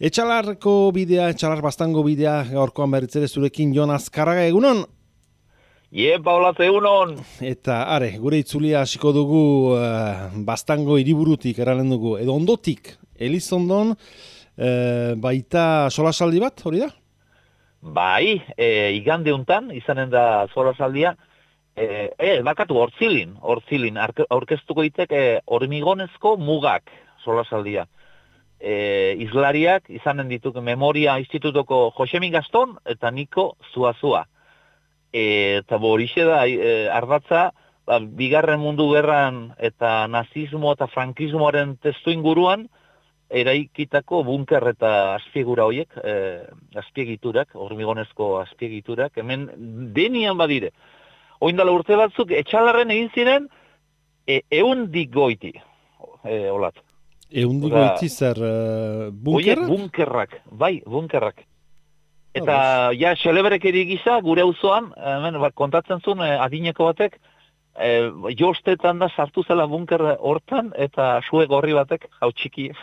Etxalarko bidea, Etxalar Baztango bidea, gaurkoan berriz ere zurekin Jon Azkarraga, egunon? Paulatze egunon! Eta, gure itzulia hasiko dugu Baztango hiriburutik eralen dugu, edo ondotik, Elizondon, baita solasaldi bat, hori da? Bai, igande untan, izanen da solasaldia, bakatu hortzilin, aurkeztuko iteke hormigonezko mugak solasaldia. Izlariak izanen dituk Memoria Institutoko Josemi Gaston eta Niko Zuazua. Eta horixe da, ardatza, bigarren mundu gerran eta nazismo eta frankismoaren testu inguruan, eraikitako bunker eta azpiegura horiek, azpiegiturak, hormigonezko azpiegiturak, hemen denian badire. Oindala urte batzuk, Etxalarren egin ziren, eundik goiti, olat. Eundik goiti zer bunkerrak? Bunkerrak, bai, bunkerrak. Eta, ja, xeleberekeri gisa, gure auzoan, hemen, kontatzen zuen, adineko batek, jostetan da sartu zela bunker hortan, eta sue gorri batek, hau txiki.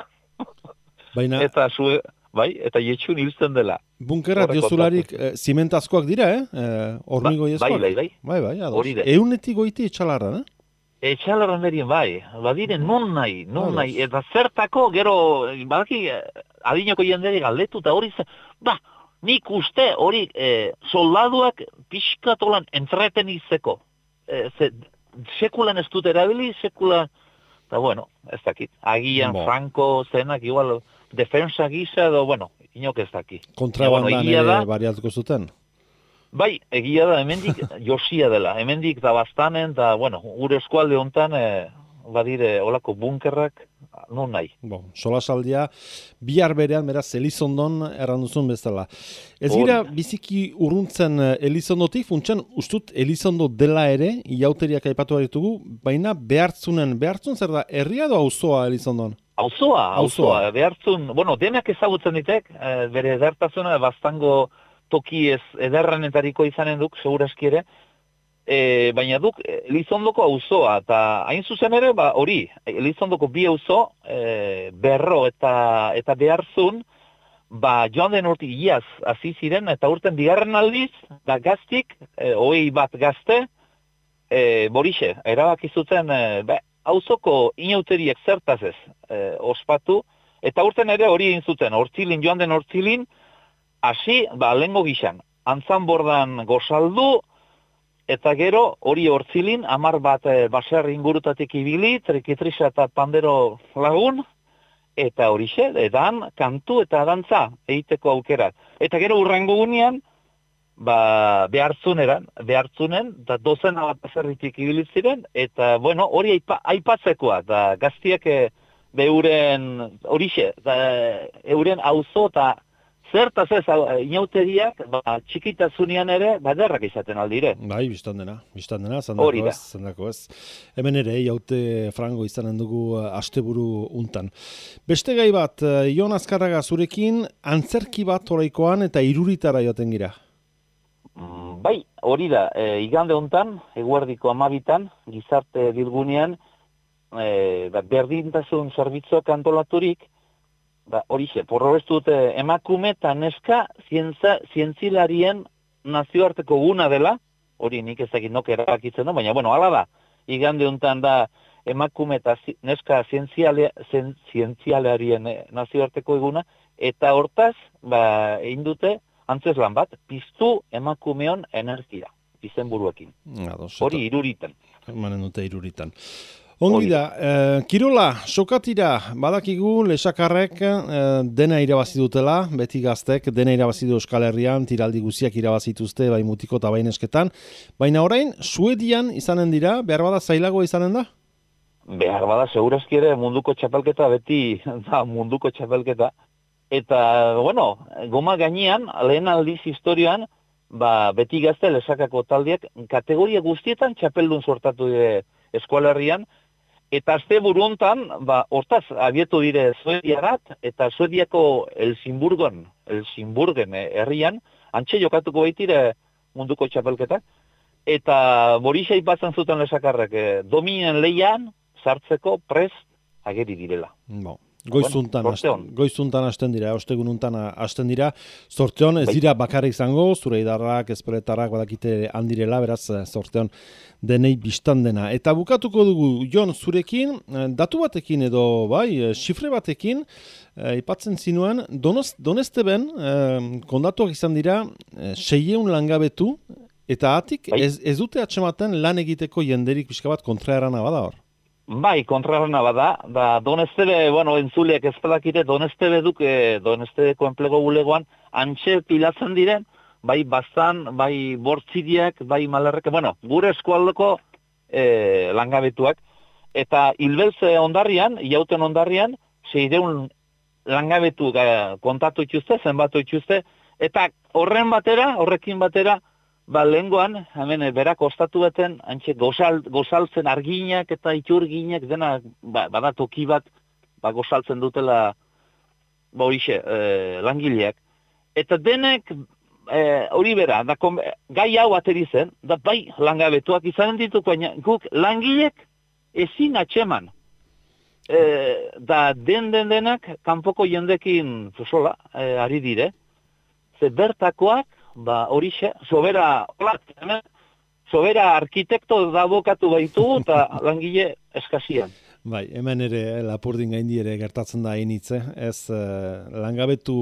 Baina... Eta sue, bai, eta jetxun hiltzen dela. Bunkerra diozularik zimentazkoak dira, hormigoiezkoak? Bai. Bai, ados. Eunetik goiti Etxalarran, Etxalarran berien, bai. Badire, non nahi. Eta zertako, gero, badaki, adineko jendeari galdetu, eta hori nik uste hori soldaduak pixkatolan entretenizeko. Sekulan ez dut erabili, sekulan... Eta, bueno, ez dakit. Agian Franco zenak, igual, defensa gisa, edo, bueno, inok ez dakit. Kontrabandan ere bariatuko zuten? Bai, egia da, hemendik josia dela. Hemendik da bastanen, da, bueno, gure eskualde hontan, badire, olako bunkerrak, non nahi. Solasaldia, bihar berean, beraz, Elizondon erranduzun bezala. Ez gira, biziki urruntzen Elizondotik, funtsen, ustut Elizondo dela ere, iauteriak aipatu baritugu, baina behartzun zer da, herria edo auzoa Elizondon? Auzoa, behartzun, bueno, denak ezagutzen ditek, bere edertasuna, Baztango toki ez ederranetariko izanen duk, seguraski ere, baina duk Elizondoko auzoa, eta hain zuzen ere, hori, Elizondoko bi auzo, berro eta beharzun, joan den urtik iaz hasi ziren, eta urten bigarren aldiz, da gaztik, hogei bat gazte, borixe, erabaki zuten, auzoko inauteriek zertaz ez, ospatu, eta urten ere hori egin zuten, joan den hortzilin, hasi, lehengo gixan, antzanbordan gozaldu, eta gero hori hortzilin, 10 bat baserri ingurutatik ibili, trikitrisa eta pandero lagun, eta horixe, edan, kantu eta dantza egiteko aukerak. Eta gero urrengo gunean, behartzunen, eta dozena bat baserritik ibili ziren, eta, bueno, hori aipatzekoa, da gaztiak euren, horixe, euren auzo eta zertaz ez, inauteriak, txikitasunean ere, baderrak izaten aldire. Bai, biztan dena, zendako ez. Hemen ere, jaute frango izanen dugu asteburu untan. Beste gai bat, Jon Azkarraga zurekin, antzerki bat oraikoan eta iruritara joaten gira. Bai, hori da, igande untan, eguerdiko 12, gizarte bilgunean, berdintasun zerbitzuak antolaturik, horixe, porrobestu dute emakume eta neska zientzilarien nazioarteko guna dela, hori nik ezakit nok erabakitzen da, baina, bueno, hala da, igande honetan da emakume eta neska zientzialarien nazioarteko eguna, eta hortaz, egin dute antzeslan bat, piztu emakumeon energia, izenburuekin. Hori iruritan. Manen dute iruritan. Ongi da, kirola, sokatira, badakigu lesakarrek dena irabazi dutela, beti gaztek, dena irabazi du Euskal Herrian, tiraldi guziak irabazituzte, bai mutiko eta bainesketan, baina orain, Suedian izanen dira, behar bada zailagoa izanen da? Behar bada, segurazki ere munduko txapelketa, beti da munduko txapelketa, eta, bueno, goma gainean, lehen aldiz historioan, beti gazte lesakako taldiak, kategoria guztietan txapeldun sortatu dire Euskal Herrian, eta azte buruntan, hortaz, abietu dire Suediarat, eta Suediako Helsingborgen herrian, antxe jokatuko baitire munduko txapelketak, eta borixa ipatzen zuten lesakarrek, dominen leian sartzeko prest ageri direla. Goizuntan hasten dira, ostegununtan hasten dira. Zorteon ez dira bakarrik izango, zure idarrak, ezpeletarrak badakite handirela, beraz zorteon denei biztan dena. Eta bukatuko dugu, Jon, zurekin, datu batekin edo, xifre batekin, ipatzen zinuen, Donesteben kondatuak izan dira 600 langabetu, eta atik ez dute atsematen lan egiteko jenderik pixka bat kontraerana bada hor? Bai, kontrarrena bada, da Donestebe, entzuleak ez badakite, Donestebe Donestebeko enplego bulegoan, antxe pilatzen diren, bai baztan, bai bortzidiak, bai malerreke, gure eskualdeko langabetuak, eta hilbeltze ondarrian, iauten ondarrian, 600 langabetu kontatu itxuzte, zenbatu itxuzte, eta horrekin batera, lehengoan, hemen berak ostatu beten, antxe gozaltzen arginak eta iturginak dena, bada toki bat, gozaltzen dutela, horixe, langileak. Eta denek, hori bera, gai hau ateri zen, da bai langabetuak izanen ditu, baina guk langilek ezin atxeman. Da denak, kanpoko jendekin, ari dire, ze bertakoak, horixe, sobera arkitekto da bokatu baitu eta langile eskasian. Bai, hemen ere Lapurdin gaindi ere gertatzen da hainitze, ez langabetu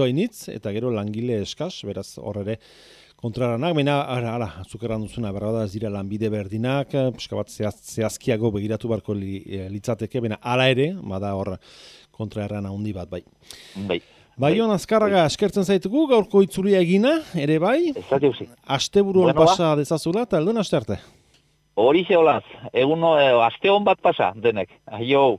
hainitz eta gero langile eskas, beraz hor ere kontraranak, baina zukerran duzuna, berra ez dira lanbide berdinak, pixka bat zehazkiago begiratu barko litzateke, baina hala ere, bada hor kontraerran handi bat, bai. Bai, Azkarraga, eskertzen zaitugu, gaurko itzulia egina, ere bai? Asteburuan pasa dezazula, eta elduen aste arte. Horixe olaz, aste hon bat pasa, denek. Aio.